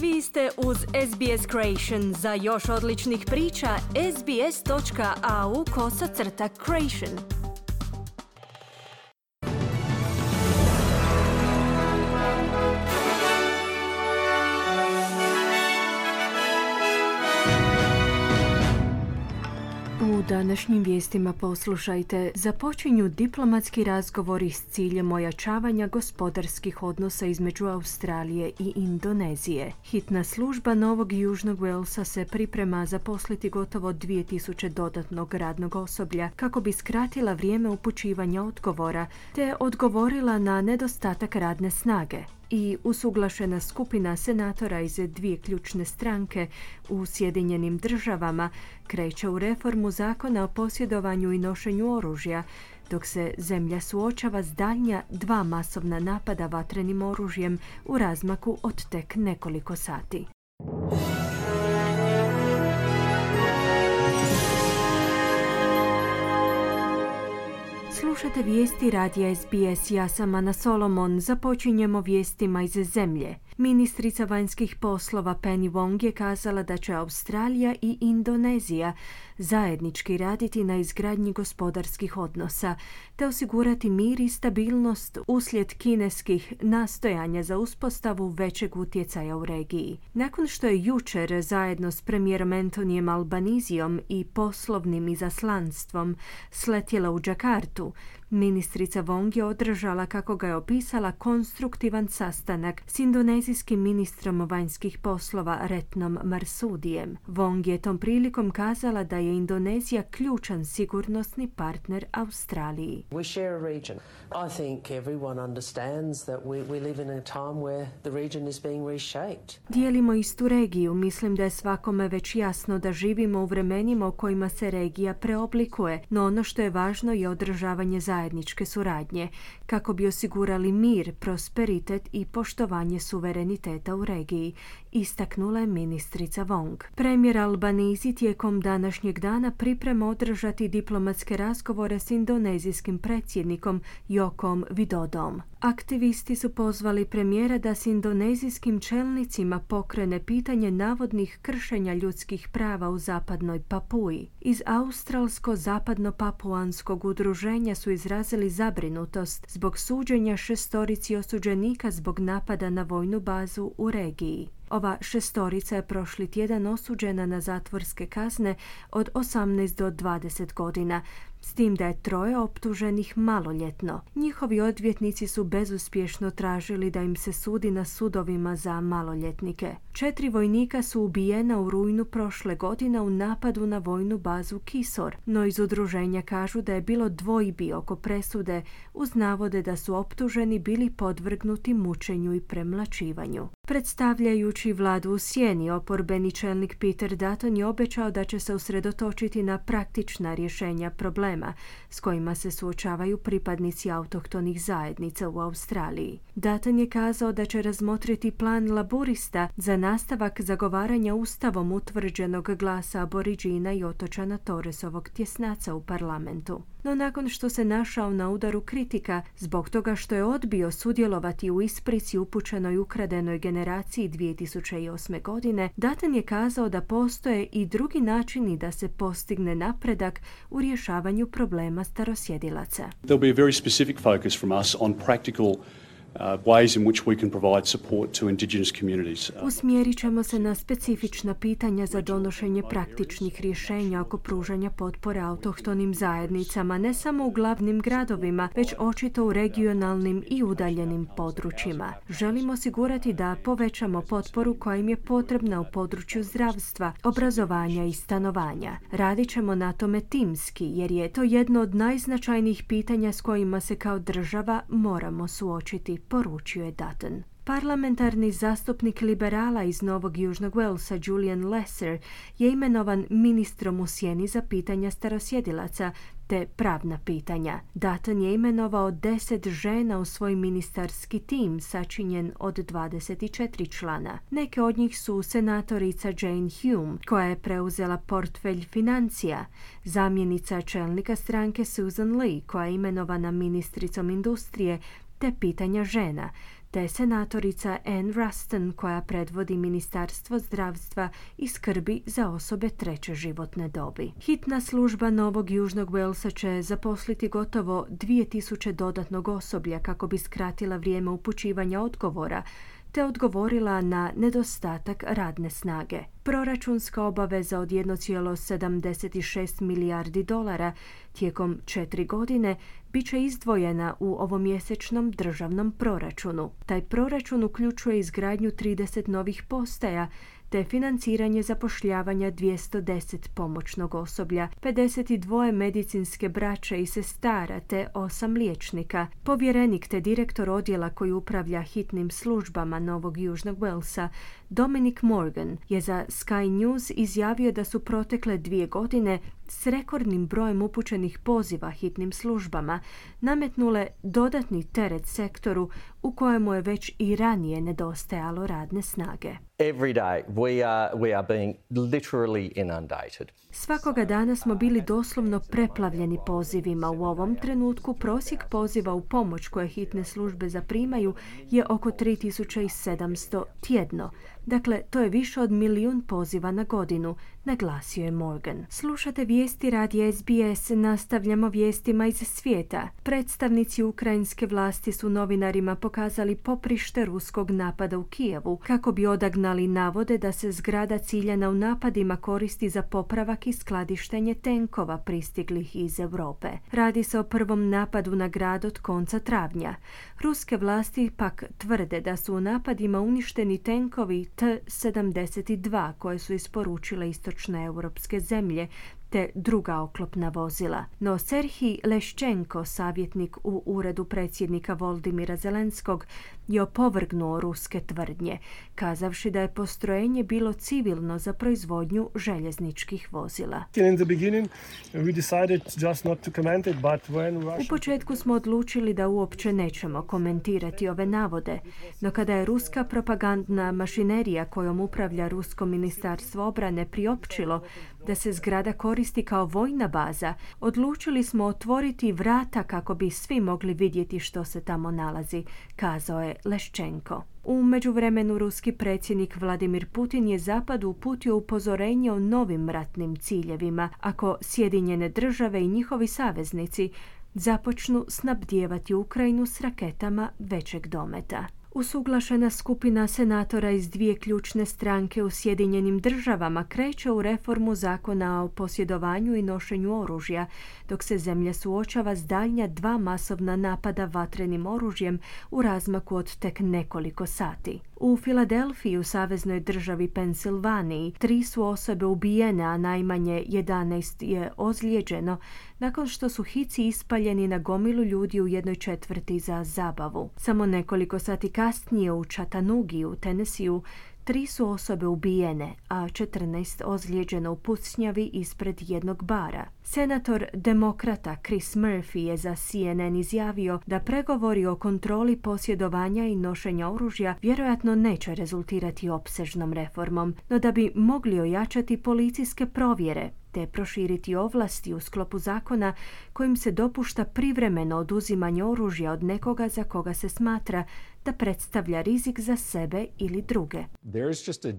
Vi ste uz SBS Creation. Za još odličnih priča, sbs.au/creation. U današnjim vijestima poslušajte, započinju diplomatski razgovori s ciljem ojačavanja gospodarskih odnosa između Australije i Indonezije. Hitna služba Novog Južnog Walesa se priprema zaposliti gotovo 2000 dodatnog radnog osoblja kako bi skratila vrijeme upućivanja odgovora te odgovorila na nedostatak radne snage. I usuglašena skupina senatora iz dvije ključne stranke u Sjedinjenim Državama kreće u reformu zakona o posjedovanju i nošenju oružja, dok se zemlja suočava s daljnja 2 masovna napada vatrenim oružjem u razmaku od tek nekoliko sati. Slušate vijesti radija SBS, ja sam Ana Solomon. Započinjemo vijestima iz zemlje. Ministrica vanjskih poslova Penny Wong je kazala da će Australija i Indonezija zajednički raditi na izgradnji gospodarskih odnosa te osigurati mir i stabilnost uslijed kineskih nastojanja za uspostavu većeg utjecaja u regiji. Nakon što je jučer zajedno s premijerom Antonijem Albanizijom i poslovnim izaslanstvom sletjela u Džakartu, ministrica Wong je održala, kako ga je opisala, konstruktivan sastanak s indonezijskim ministrom vanjskih poslova Retnom Marsudijem. Wong je tom prilikom kazala da je Indonezija ključan sigurnosni partner Australiji. We share a region. I think everyone understands that we live in a time where the region is being reshaped. Dijelimo istu regiju. Mislim da je svakome već jasno da živimo u vremenima u kojima se regija preoblikuje, no ono što je važno je održavanje zajedničke suradnje kako bi osigurali mir, prosperitet i poštovanje suvereniteta u regiji, istaknula je ministrica Wong. Premijer Albanizi tijekom današnjeg dana priprema održati diplomatske razgovore s indonezijskim predsjednikom Jokom Widodom. Aktivisti su pozvali premijera da s indonezijskim čelnicima pokrene pitanje navodnih kršenja ljudskih prava u zapadnoj Papuji. Iz Australsko-zapadno-papuanskog udruženja su izrazili zabrinutost zbog suđenja 6 osuđenika zbog napada na vojnu bazu u regiji. Ova 6 je prošli tjedan osuđena na zatvorske kazne od 18 do 20 godina, s tim da je 3 optuženih maloljetno. Njihovi odvjetnici su bezuspješno tražili da im se sudi na sudovima za maloljetnike. 4 vojnika su ubijena u rujnu prošle godine u napadu na vojnu bazu Kisor, no iz udruženja kažu da je bilo dvojbi oko presude uz navode da su optuženi bili podvrgnuti mučenju i premlaćivanju. Predstavljajući vladu u sjeni, oporbeni čelnik Peter Dutton je obećao da će se usredotočiti na praktična rješenja problema s kojima se suočavaju pripadnici autohtonih zajednica u Australiji. Dutton je kazao da će razmotriti plan laburista za nastavak zagovaranja ustavom utvrđenog glasa aboriđina i otočana Torresovog tjesnaca u parlamentu. No nakon što se našao na udaru kritika zbog toga što je odbio sudjelovati u isprici upućenoj ukradenoj generaciji 2008. godine, Dutton je kazao da postoje i drugi načini da se postigne napredak u rješavanju problema starosjedilaca. There'll be a very specific focus from us on practical ways in which we can provide support to Indigenous communities. Usmjerit ćemo se na specifična pitanja za donošenje praktičnih rješenja oko pružanja potpore autohtonim zajednicama, ne samo u glavnim gradovima, već očito u regionalnim i udaljenim područjima. Želimo osigurati da povećamo potporu koja im je potrebna u području zdravstva, obrazovanja i stanovanja. Radit ćemo na tome timski, jer je to jedno od najznačajnijih pitanja s kojima se kao država moramo suočiti, poručio je Dutton. Parlamentarni zastupnik liberala iz Novog Južnog Walesa Julian Lesser je imenovan ministrom u sjeni za pitanja starosjedilaca te pravna pitanja. Dutton je imenovao 10 žena u svoj ministarski tim sačinjen od 24 člana. Neke od njih su senatorica Jane Hume, koja je preuzela portfelj financija, zamjenica čelnika stranke Susan Lee, koja je imenovana ministricom industrije te pitanja žena, te senatorica Ann Ruston koja predvodi Ministarstvo zdravstva i skrbi za osobe treće životne dobi. Hitna služba Novog Južnog Walesa će zaposliti gotovo 2000 dodatnog osoblja kako bi skratila vrijeme upućivanja odgovora te odgovorila na nedostatak radne snage. Proračunska obaveza od 1,76 milijardi dolara tijekom 4 godine bit će izdvojena u ovomjesečnom državnom proračunu. Taj proračun uključuje izgradnju 30 novih postaja te financiranje zapošljavanja 210 pomoćnog osoblja, 52 medicinske braće i sestara te 8 liječnika. Povjerenik te direktor odjela koji upravlja hitnim službama Novog Južnog Walesa, Dominic Morgan, je za Sky News izjavio da su protekle 2 godine s rekordnim brojem upućenih poziva hitnim službama nametnule dodatni teret sektoru u kojemu je već i ranije nedostajalo radne snage. Every day we are being literally inundated. Svakoga dana smo bili doslovno preplavljeni pozivima. U ovom trenutku prosjek poziva u pomoć koje hitne službe zaprimaju je oko 3700 tjedno. Dakle, to je više od 1.000.000 poziva na godinu, naglasio je Morgan. Slušate vijesti radija SBS, nastavljamo vijestima iz svijeta. Predstavnici ukrajinske vlasti su novinarima pokazali poprište ruskog napada u Kijevu kako bi odagnali navode da se zgrada ciljana u napadima koristi za popravak i skladištenje tenkova pristiglih iz Europe. Radi se o prvom napadu na grad od konca travnja. Ruske vlasti pak tvrde da su u napadima uništeni tenkovi T-72 koje su isporučile istočne europske zemlje te druga oklopna vozila. No Serhij Leščenko, savjetnik u uredu predsjednika Volodymyra Zelenskog, je opovrgnuo ruske tvrdnje, kazavši da je postrojenje bilo civilno za proizvodnju željezničkih vozila. U početku smo odlučili da uopće nećemo komentirati ove navode, no kada je ruska propagandna mašinerija kojom upravlja Rusko ministarstvo obrane priopćilo da se zgrada koristi kao vojna baza, odlučili smo otvoriti vrata kako bi svi mogli vidjeti što se tamo nalazi, kazao je Leščenko. U međuvremenu ruski predsjednik Vladimir Putin je Zapadu uputio upozorenje o novim ratnim ciljevima ako Sjedinjene države i njihovi saveznici započnu snabdijevati Ukrajinu s raketama većeg dometa. Usuglašena skupina senatora iz 2 ključne stranke u Sjedinjenim državama kreće u reformu zakona o posjedovanju i nošenju oružja, dok se zemlja suočava s daljnja 2 masovna napada vatrenim oružjem u razmaku od tek nekoliko sati. U Filadelfiji, u saveznoj državi Pensilvaniji, 3 su osobe ubijene, a najmanje 11 je ozlijeđeno nakon što su hici ispaljeni na gomilu ljudi u jednoj četvrti za zabavu. Samo nekoliko sati kasnije u Chattanoogi u Tennesseeu 3 su osobe ubijene, a 14 ozlijeđeno u pucnjavi ispred jednog bara. Senator demokrata Chris Murphy je za CNN izjavio da pregovori o kontroli posjedovanja i nošenja oružja vjerojatno neće rezultirati opsežnom reformom, no da bi mogli ojačati policijske provjere te proširiti ovlasti u sklopu zakona kojim se dopušta privremeno oduzimanje oružja od nekoga za koga se smatra da predstavlja rizik za sebe ili druge. There is just a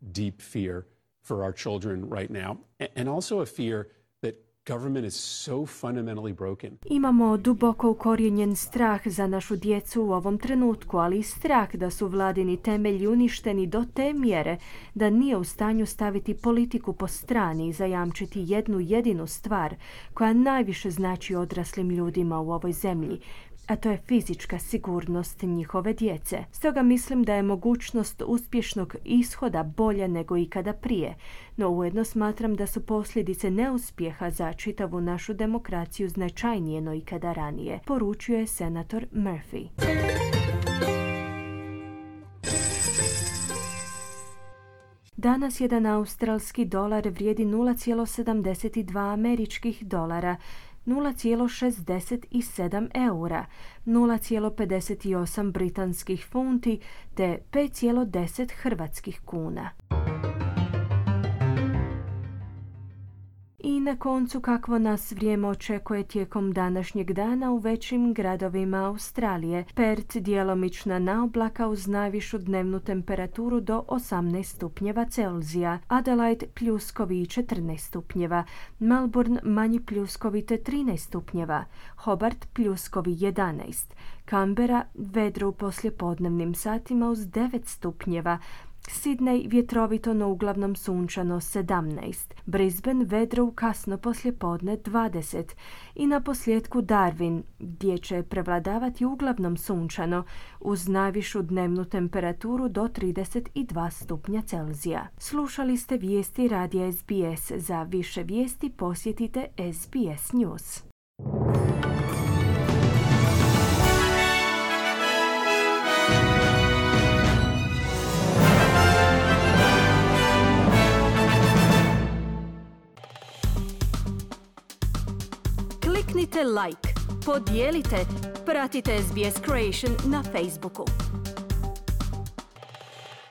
deep fear for our children right now, and also a fear that government is so fundamentally broken. Imamo duboko ukorijenjen strah za našu djecu u ovom trenutku, ali i strah da su vladini temelji uništeni do te mjere da nije u stanju staviti politiku po strani i zajamčiti jednu jedinu stvar koja najviše znači odraslim ljudima u ovoj zemlji, a to je fizička sigurnost njihove djece. Stoga mislim da je mogućnost uspješnog ishoda bolja nego ikada prije, no ujedno smatram da su posljedice neuspjeha za čitavu našu demokraciju značajnije no ikada ranije, poručuje senator Murphy. Danas jedan australski dolar vrijedi 0,72 američkih dolara, 0,67 eura, 0,58 britanskih funti te 5,10 hrvatskih kuna. I na koncu kakvo nas vrijeme očekuje tijekom današnjeg dana u većim gradovima Australije. Perth djelomična naoblaka uz najvišu dnevnu temperaturu do 18 stupnjeva Celzija, Adelaide pljuskovi i 14 stupnjeva, Melbourne manji pljuskovi te 13 stupnjeva, Hobart pljuskovi 11, Canberra vedro u poslijepodnevnim satima uz 9 stupnjeva, Sydney vjetrovito no uglavnom sunčano 17, Brisbane vedro u kasno poslijepodne 20 i na posljedku Darwin gdje će prevladavati uglavnom sunčano uz najvišu dnevnu temperaturu do 32 stupnja Celzija. Slušali ste vijesti radija SBS. Za više vijesti posjetite SBS News. Kliknite like, podijelite, pratite SBS Creation na Facebooku.